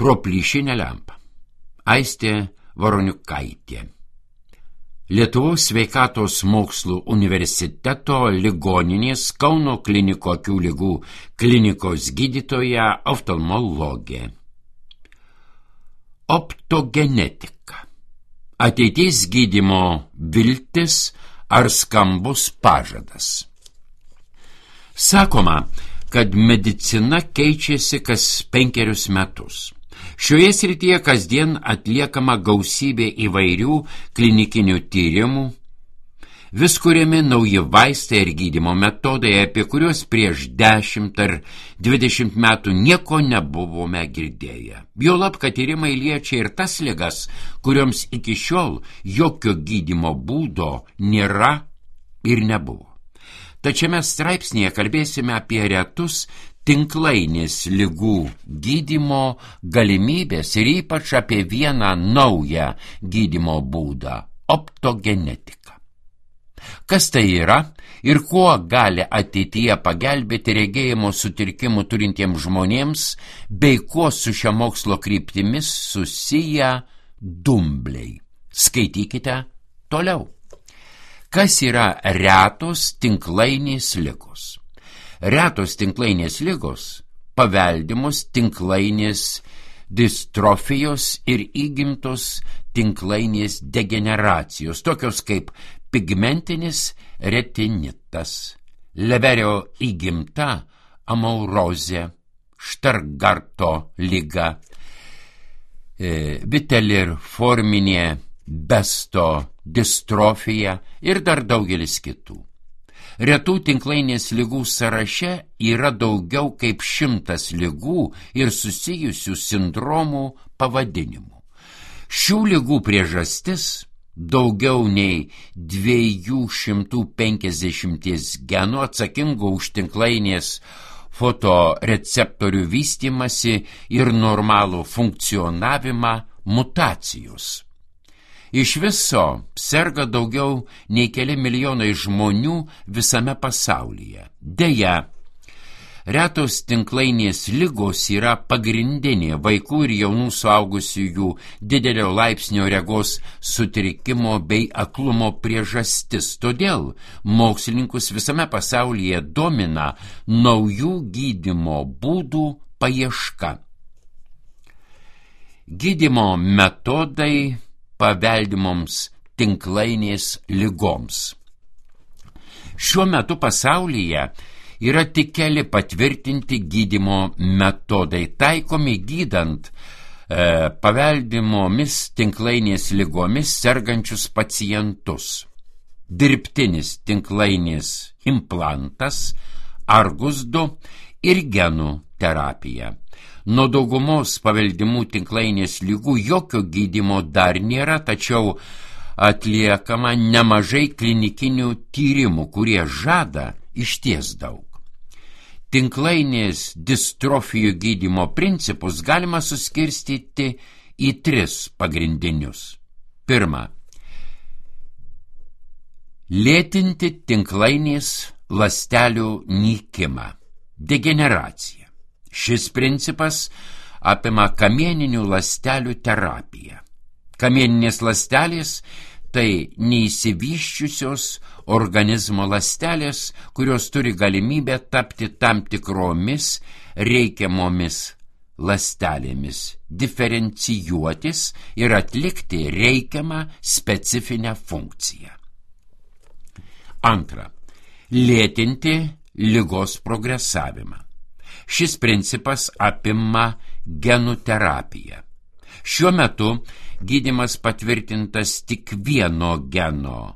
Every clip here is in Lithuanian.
Pro plyšinę lempą. Aistė Varoniukaitė. Lietuvos sveikatos mokslų universiteto ligoninės Kauno klinikų akių ligų klinikos gydytoja oftalmologė. Optogenetika. Ateities gydymo viltis ar skambus pažadas. Sakoma, kad medicina keičiasi kas 5 metus. Šioje srityje kasdien atliekama gausybė įvairių klinikinių tyrimų, vis kuriami nauji vaistai ir gydymo metodai, apie kuriuos prieš 10 ar 20 metų nieko nebuvome girdėję. Juolab, kad tyrimai liečia ir tas ligas, kurioms iki šiol jokio gydymo būdo nėra ir nebuvo. Tačiau mes straipsnėje kalbėsime apie retus tinklainės ligų gydymo galimybės ir ypač apie vieną naują gydymo būdą – optogenetiką. Kas tai yra ir kuo gali ateityje pagelbėti regėjimo sutrikimų turintiems žmonėms, bei kuo su šia mokslo kryptimis susiję dumbliai. Skaitykite toliau. Kas yra retos tinklainės ligos? Retos tinklainės ligos paveldimos tinklainės distrofijos ir įgimtos tinklainės degeneracijos, tokios kaip pigmentinis retinitas, Leverio įgimta amaurozė, Štargarto liga, viteliforminė besto distrofija ir dar daugelis kitų. Retų tinklainės ligų sąraše yra daugiau kaip 100 ligų ir susijusių sindromų pavadinimų. Šių ligų priežastis daugiau nei 250 genų atsakingų už tinklainės fotoreceptorių vystymasi ir normalų funkcionavimą mutacijos. Iš viso serga daugiau nei keli milijonai žmonių visame pasaulyje. Deja, retos tinklainės ligos yra pagrindinė vaikų ir jaunų suaugusiųjų didelio laipsnio regos sutrikimo bei aklumo priežastis. Todėl mokslininkus visame pasaulyje domina naujų gydymo būdų paieška. Gydymo metodai paveldimoms tinklainės ligoms. Šiuo metu pasaulyje yra tik keli patvirtinti gydymo metodai, taikomi gydant paveldimomis tinklainės ligomis sergančius pacientus. Dirbtinis tinklainės implantas, Argus 2 ir genų terapija. Nuo daugumos paveldimų tinklainės ligų jokio gydymo dar nėra, tačiau atliekama nemažai klinikinių tyrimų, kurie žada išties daug. Tinklainės distrofijų gydymo principus galima suskirstyti į 3 pagrindinius. Pirma, lėtinti tinklainės ląstelių nykimą, degeneraciją. Šis principas apima kamieninių ląstelių terapiją. Kamieninės ląstelės tai neišsivysčiusios organizmo ląstelės, kurios turi galimybę tapti tam tikromis reikiamomis ląstelėmis, diferencijuotis ir atlikti reikiamą specifinę funkciją. Antra, lėtinti ligos progresavimą. Šis principas apima genų terapiją. Šiuo metu gydymas patvirtintas tik vieno geno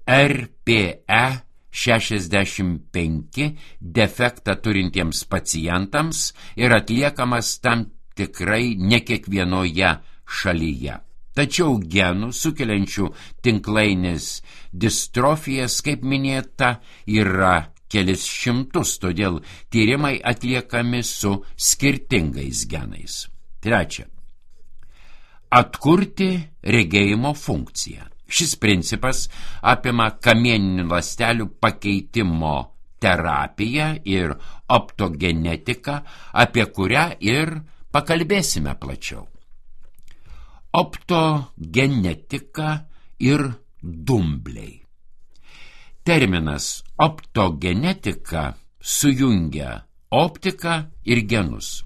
RPE65 defektą turintiems pacientams ir atliekamas tam tikrai ne kiekvienoje šalyje. Tačiau genų sukeliančių tinklainės distrofijas, kaip minėta, yra kelis šimtus, todėl tyrimai atliekami su skirtingais genais. Trečia, atkurti regėjimo funkciją. Šis principas apima kamieninių ląstelių pakeitimo terapiją ir optogenetiką, apie kurią ir pakalbėsime plačiau. Optogenetika ir dumbliai. Terminas optogenetika sujungia optiką ir genus.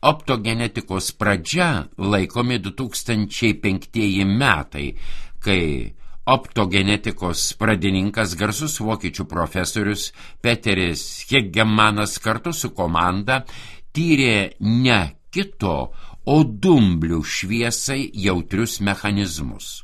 Optogenetikos pradžia laikomi 2005 metai, kai optogenetikos pradininkas garsus vokiečių profesorius Peteris Hegemanas kartu su komanda tyrė ne kito, o dumblių šviesai jautrius mechanizmus.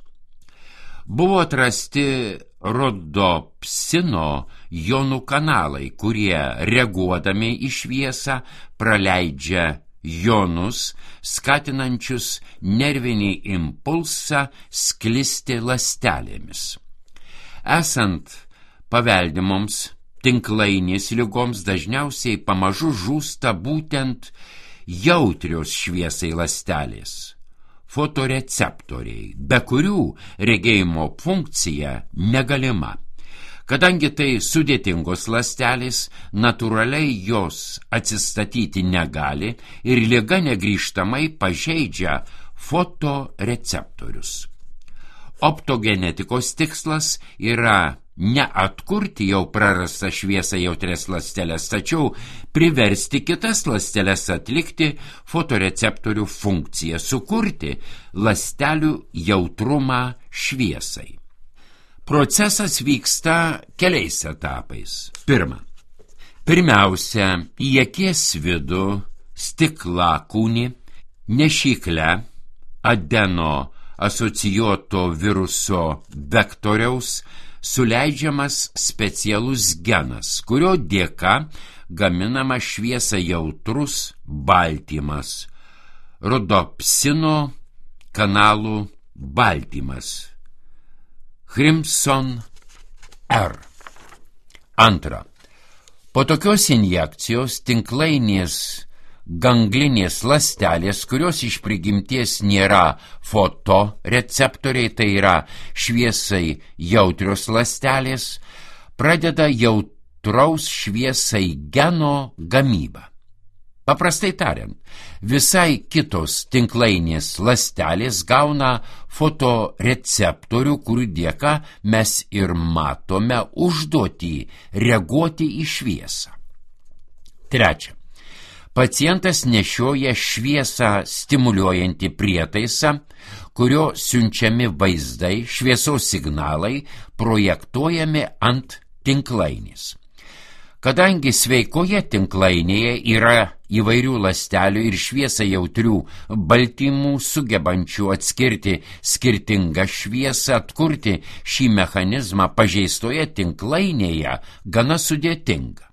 Buvo atrasti rodopsino jonų kanalai, kurie reaguodami į šviesą praleidžia jonus, skatinančius nervinį impulsą sklisti ląstelėmis. Esant paveldimoms tinklainės ligoms dažniausiai pamažu žūsta būtent jautrios šviesai ląstelės, fotoreceptoriai, be kurių regėjimo funkcija negalima. Kadangi tai sudėtingos ląstelės, natūraliai jos atsistatyti negali ir liga negrįžtamai pažeidžia fotoreceptorius. Optogenetikos tikslas yra ne atkurti jau prarastą šviesą jautrias ląsteles, tačiau priversti kitas ląsteles atlikti fotoreceptorių funkciją, sukurti ląstelių jautrumą šviesai. Procesas vyksta keliais etapais. Pirmiausia, į akies vidų stiklakūnį nešyklę adeno asocijuoto viruso vektoriaus suleidžiamas specialus genas, kurio dėka gaminama šviesą jautrus baltymas, rodopsino kanalų baltymas, Crimson R. Antra. Po tokios injekcijos tinklainės ganglinės ląstelės, kurios iš prigimties nėra fotoreceptoriai, tai yra šviesai jautrios ląstelės, pradeda jautraus šviesai geno gamybą. Paprastai tariant, visai kitos tinklainės ląstelės gauna fotoreceptorių, kurių dėka mes ir matome užduotį reaguoti į šviesą. Trečia. Pacientas nešioja šviesą stimuliuojantį prietaisą, kurio siunčiami vaizdai, šviesos signalai projektuojami ant tinklainės. Kadangi sveikoje tinklainėje yra įvairių ląstelių ir šviesą jautrių baltymų sugebančių atskirti skirtingą šviesą, atkurti šį mechanizmą pažeistoje tinklainėje gana sudėtinga.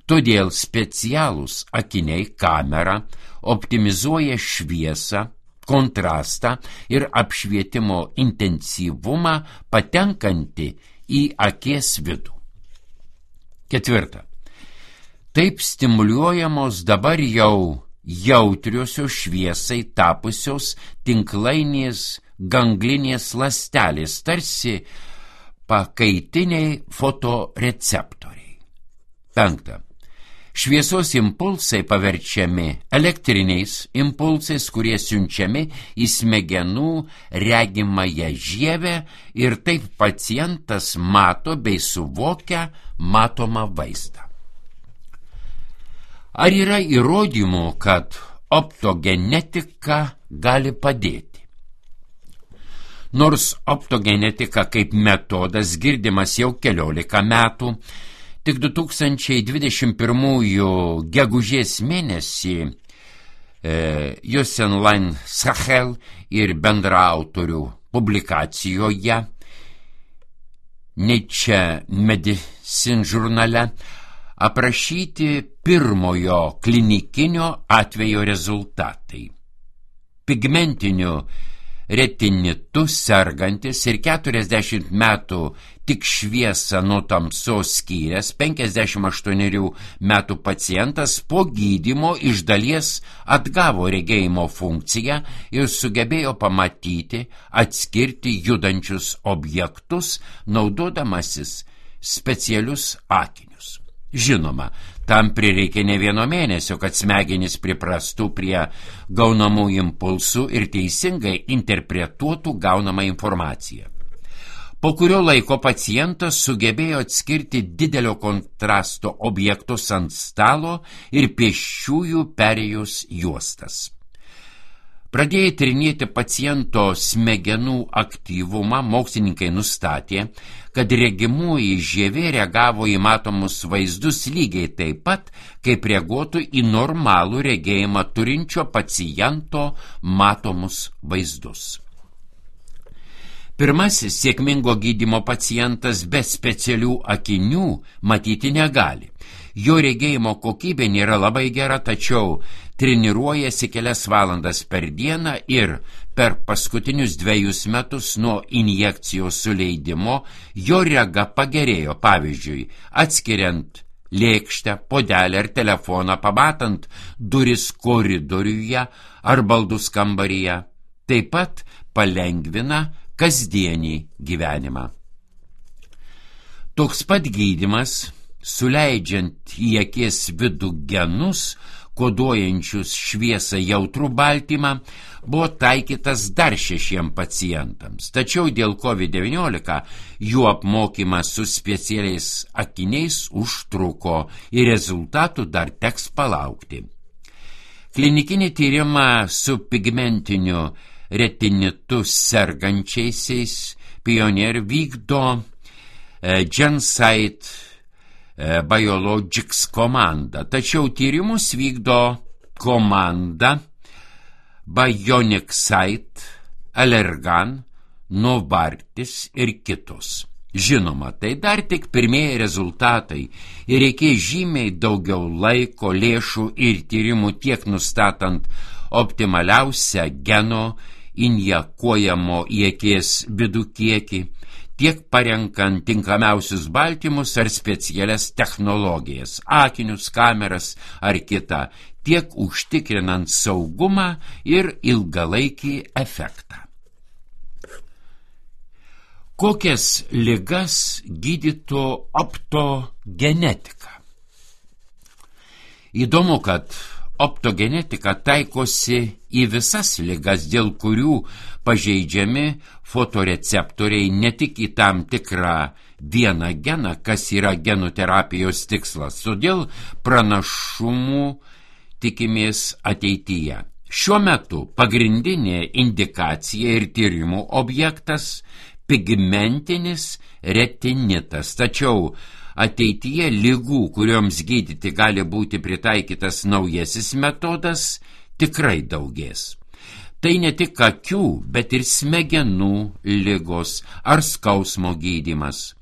Todėl specialūs akiniai kamera optimizuoja šviesą, kontrastą ir apšvietimo intensyvumą patenkantį į akies vidų. Ketvirta. Taip stimuliuojamos dabar jau jautriosios šviesai tapusios tinklainės ganglinės ląstelės, tarsi pakaitiniai fotoreceptoriai. Penkta. Šviesos impulsai paverčiami elektriniais impulsais, kurie siunčiami į smegenų regimąją žievę ir taip pacientas mato bei suvokia matomą vaizdą. Ar yra įrodymų, kad optogenetika gali padėti? Nors optogenetika kaip metodas girdimas jau 14 metų, tik 2021 gegužės mėnesį Jocelyn Sahel ir bendraautorių publikacijoje Nature Medicine žurnale aprašyti pirmojo klinikinio atvejo rezultatai. Pigmentiniu retinitu sergantis ir 40 metų tik šviesą nuo tamsos skyręs 58 metų pacientas po gydymo iš dalies atgavo regėjimo funkciją ir sugebėjo pamatyti, atskirti judančius objektus, naudodamasis specialius akinius. Žinoma, Tam prireikė ne vieno mėnesio, kad smegenys priprastų prie gaunamų impulsų ir teisingai interpretuotų gaunamą informaciją. Po kurio laiko pacientas sugebėjo atskirti didelio kontrasto objektus ant stalo ir pėsčiųjų perėjos juostas. Pradėję tyrinėti paciento smegenų aktyvumą, mokslininkai nustatė, kad regimoji žievė reagavo į matomus vaizdus lygiai taip pat, kaip reaguotų į normalų regėjimą turinčio paciento matomus vaizdus. Pirmasis sėkmingo gydymo pacientas be specialių akinių matyti negali. Jo regėjimo kokybė nėra labai gera, tačiau treniruojasi kelias valandas per dieną ir per paskutinius 2 metus nuo injekcijos suleidimo jo rega pagerėjo, pavyzdžiui, atskiriant lėkštę, puodelį ar telefoną, pamatant duris koridoriuje ar baldus kambaryje. Taip pat palengvina kasdienį gyvenimą. Toks pat gydymas, suleidžiant į akies vidų genus, koduojančius šviesą jautrų baltymą, buvo taikytas dar 6 pacientams. Tačiau dėl COVID-19 jų apmokymas su specialiais akiniais užtruko ir rezultatų dar teks palaukti. Klinikinį tyrimą su pigmentiniu retinitu sergančiaisiais Pioneer vykdo Gensight Biologics komanda, tačiau tyrimus vykdo komanda Bionicsite, Allergan, Novartis ir kitos. Žinoma, tai dar tik pirmieji rezultatai ir reikės žymiai daugiau laiko, lėšų ir tyrimų tiek nustatant optimaliausią geno injekuojamo į akies vidų kiekį, tiek parenkant tinkamiausius baltymus ar specialias technologijas, akinius, kameras ar kitą, tiek užtikrinant saugumą ir ilgalaikį efektą. Kokias ligas gydytų optogenetika? Įdomu, kad optogenetika taikosi į visas ligas, dėl kurių pažeidžiami fotoreceptoriai, ne tik į tam tikrą vieną geną, kas yra genų terapijos tikslas. Todėl pranašumų tikimės ateityje. Šiuo metu pagrindinė indikacija ir tyrimų objektas pigmentinis retinitas, tačiau ateityje ligų, kurioms gydyti gali būti pritaikytas naujasis metodas, tikrai daugės. Tai ne tik akių, bet ir smegenų ligos ar skausmo gydymas.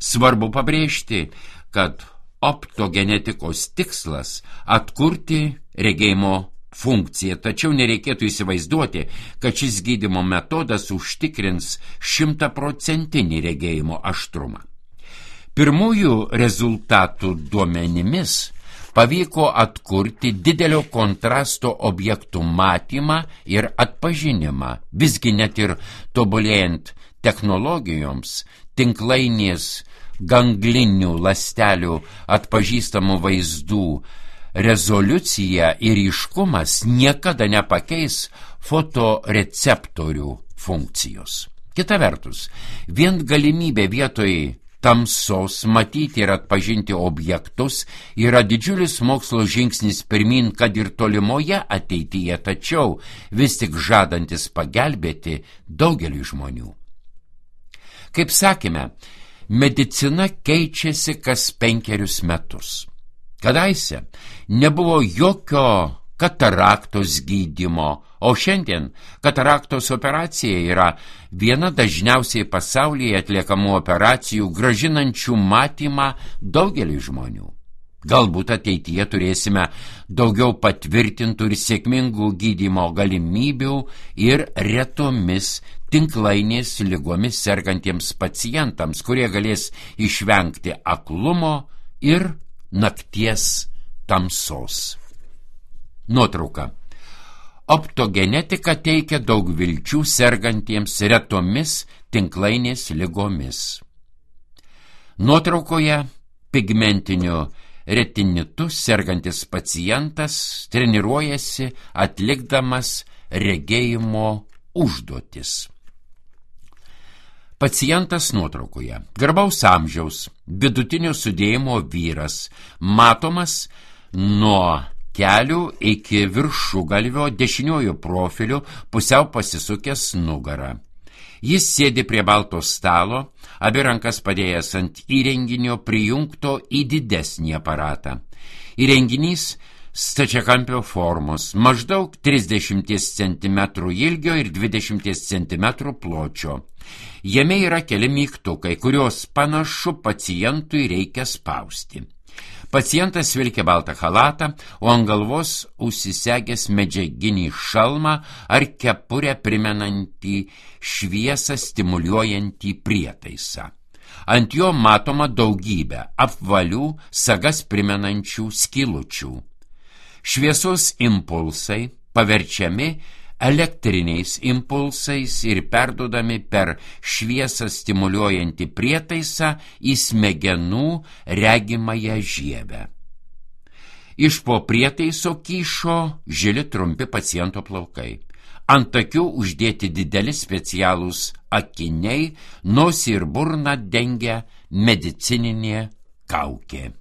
Svarbu pabrėžti, kad optogenetikos tikslas atkurti regėjimo funkciją, tačiau nereikėtų įsivaizduoti, kad šis gydymo metodas užtikrins 100% regėjimo aštrumą. Pirmųjų rezultatų duomenimis pavyko atkurti didelio kontrasto objektų matymą ir atpažinimą. Visgi net ir tobulėjant technologijoms, tinklainės ganglinių ląstelių atpažįstamų vaizdų rezoliucija ir ryškumas niekada nepakeis fotoreceptorių funkcijos. Kita vertus, vien galimybė vietoj tamsos matyti ir atpažinti objektus yra didžiulis mokslo žingsnis pirmin, kad ir tolimoje ateityje, tačiau vis tik žadantis pagelbėti daugeliui žmonių. Kaip sakėme, medicina keičiasi kas 5 metus. Kadaise nebuvo jokio kataraktos gydymo, o šiandien kataraktos operacija yra viena dažniausiai pasaulyje atliekamų operacijų, grąžinančių matymą daugelį žmonių. Galbūt ateityje turėsime daugiau patvirtintų ir sėkmingų gydymo galimybių ir retomis tinklainės ligomis sergantiems pacientams, kurie galės išvengti aklumo ir nakties tamsos. Nuotrauka. Optogenetika teikia daug vilčių sergantiems retomis tinklainės ligomis. Nuotraukoje pigmentiniu retinitu sergantis pacientas treniruojasi atlikdamas regėjimo užduotis. Pacientas nuotraukoje. Garbaus amžiaus, vidutinio sudėjimo vyras, matomas nuo kelių iki viršugalvio dešiniojo profiliu, pusiau pasisukęs nugarą. Jis sėdi prie balto stalo, abi rankas padėjęs ant įrenginio prijungto į didesnį aparatą. Įrenginys stačiakampio formos, maždaug 30 cm ilgio ir 20 cm pločio. Jame yra keli mygtukai, kuriuos panašu pacientui reikia spausti. Pacientas vilkia baltą chalatą, o ant galvos užsisegęs medžiaginį šalmą ar kepurę primenantį šviesą stimuliuojantį prietaisą. Ant jo matoma daugybė apvalių, sagas primenančių skylučių. Šviesos impulsai paverčiami elektriniais impulsais ir perduodami per šviesą stimuliuojantį prietaisą į smegenų regimąją žievę. Iš po prietaiso kyšo žili trumpi paciento plaukai. Ant akių uždėti dideli specialūs akiniai, nosį ir burną dengia medicininė kaukė.